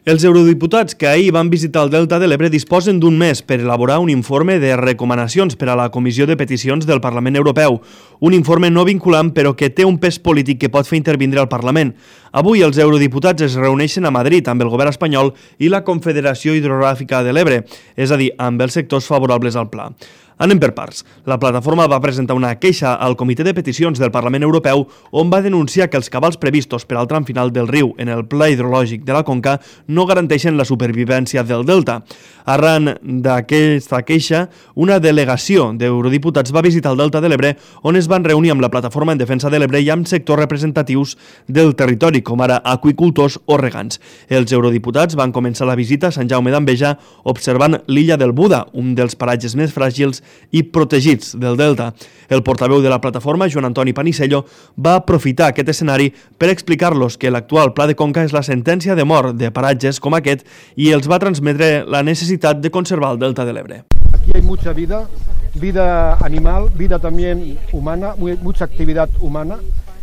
Els eurodiputats que ahir van visitar el Delta de l'Ebre disposen d'un mes per elaborar un informe de recomanacions per a la Comissió de Peticions del Parlament Europeu. Un informe no vinculant, però que té un pes polític que pot fer intervindre al Parlament. Avui els eurodiputats es reuneixen a Madrid amb el govern espanyol i la Confederació Hidrogràfica de l'Ebre, és a dir, amb els sectors favorables al pla. Anem per parts. La plataforma va presentar una queixa al Comitè de Peticions del Parlament Europeu on va denunciar que els cabals previstos per al tram final del riu en el pla hidrològic de la Conca no garanteixen la supervivència del delta. Arran d'aquesta queixa, una delegació d'eurodiputats va visitar el Delta de l'Ebre on es van reunir amb la Plataforma en Defensa de l'Ebre i amb sectors representatius del territori, com ara aqüicultors o regants. Els eurodiputats van començar la visita a Sant Jaume d'Enveja observant l'illa del Buda, un dels paratges més fràgils i protegits del Delta. El portaveu de la plataforma, Joan Antoni Panisello, va aprofitar aquest escenari per explicar-los que l'actual Pla de Conca és la sentència de mort de paratges com aquest i els va transmetre la necessitat de conservar el Delta de l'Ebre. Aquí hay mucha vida, vida animal, vida también humana, mucha actividad humana,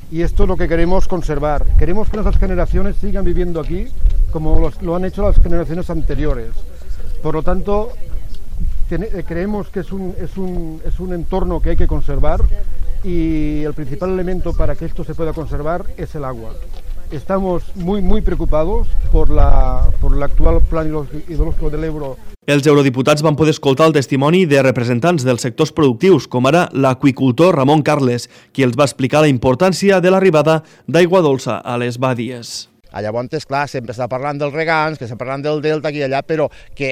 y esto es lo que queremos conservar. Queremos que nuestras generaciones sigan viviendo aquí como lo han hecho las generaciones anteriores. Por lo tanto, creemos que es un entorno que hay que conservar y el principal elemento para que esto se pueda conservar es el agua. Estamos muy preocupados por l'actual plan hidrológico de l'Ebro. Els eurodiputats van poder escoltar el testimoni de representants dels sectors productius, com ara l'aqüicultor Ramon Carles, qui els va explicar la importància de l'arribada d'aigua dolça a les badies. Llavors, clar, sempre està parlant dels regants, que està parlant del delta aquí i allà, però que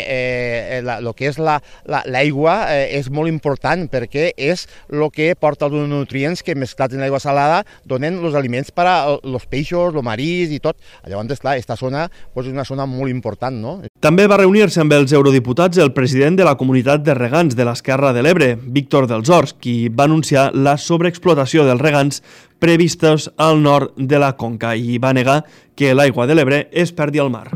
el que és l'aigua és molt important perquè és el que porta els nutrients que mesclats en l'aigua salada donen els aliments per als peixos, el marís i tot. Llavors, clar, aquesta zona és una zona molt important, no? També va reunir-se amb els eurodiputats el president de la comunitat de regants de l'Esquerra de l'Ebre, Víctor dels Horts, qui va anunciar la sobreexplotació dels regants previstos al nord de la Conca i va negar que l'aigua de l'Ebre es perdi al mar.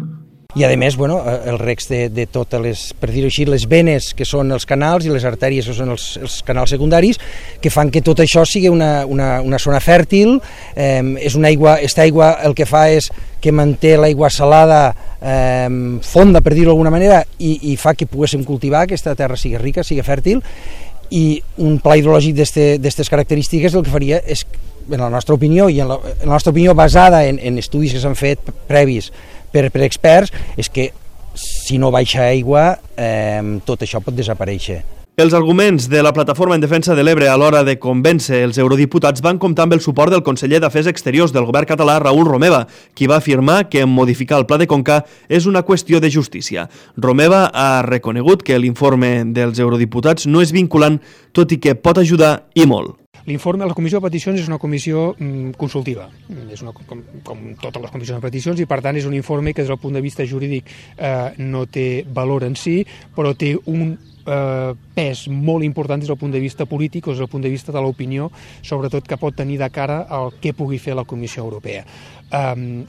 I a més, el reg de totes les, per dir-ho així, les venes que són els canals i les artèries que són els canals secundaris, que fan que tot això sigui una zona fèrtil. Aquesta aigua el que fa és que manté l'aigua salada fonda, per dir-ho d'alguna manera, i fa que poguéssim cultivar, que aquesta terra sigui rica, sigui fèrtil, i un pla hidrològic d'aquestes característiques el que faria és, en la nostra opinió, i en la nostra opinió basada en estudis que s'han fet previs per experts, és que si no baixa aigua tot això pot desaparèixer. Els arguments de la Plataforma en Defensa de l'Ebre a l'hora de convèncer els eurodiputats van comptar amb el suport del conseller d'Afers Exteriors del govern català, Raül Romeva, qui va afirmar que modificar el Pla de Conca és una qüestió de justícia. Romeva ha reconegut que l'informe dels eurodiputats no és vinculant, tot i que pot ajudar i molt. L'informe de la Comissió de Peticions és una comissió consultiva, és com totes les comissions de peticions, i per tant és un informe que des del punt de vista jurídic no té valor en si, però té un pes molt important des del punt de vista polític o des del punt de vista de l'opinió, sobretot que pot tenir de cara al que pugui fer la Comissió Europea.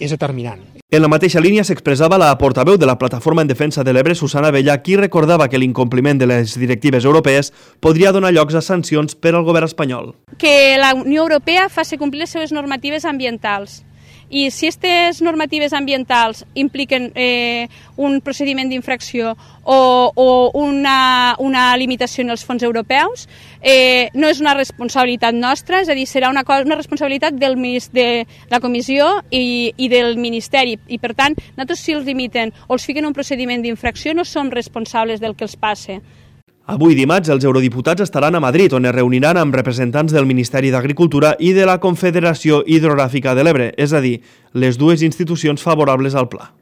És determinant. En la mateixa línia s'expressava la portaveu de la Plataforma en Defensa de l'Ebre, Susana Abella, qui recordava que l'incompliment de les directives europees podria donar llocs a sancions per al govern espanyol. Que la Unió Europea faci complir les seves normatives ambientals. I si aquestes normatives ambientals impliquen un procediment d'infracció o una limitació en els fons europeus, no és una responsabilitat nostra, és a dir, serà una responsabilitat de la Comissió i del Ministeri. I, per tant, nosaltres si els limiten o els fiquen un procediment d'infracció no som responsables del que els passe. Avui dimarts els eurodiputats estaran a Madrid, on es reuniran amb representants del Ministeri d'Agricultura i de la Confederació Hidrogràfica de l'Ebre, és a dir, les dues institucions favorables al pla.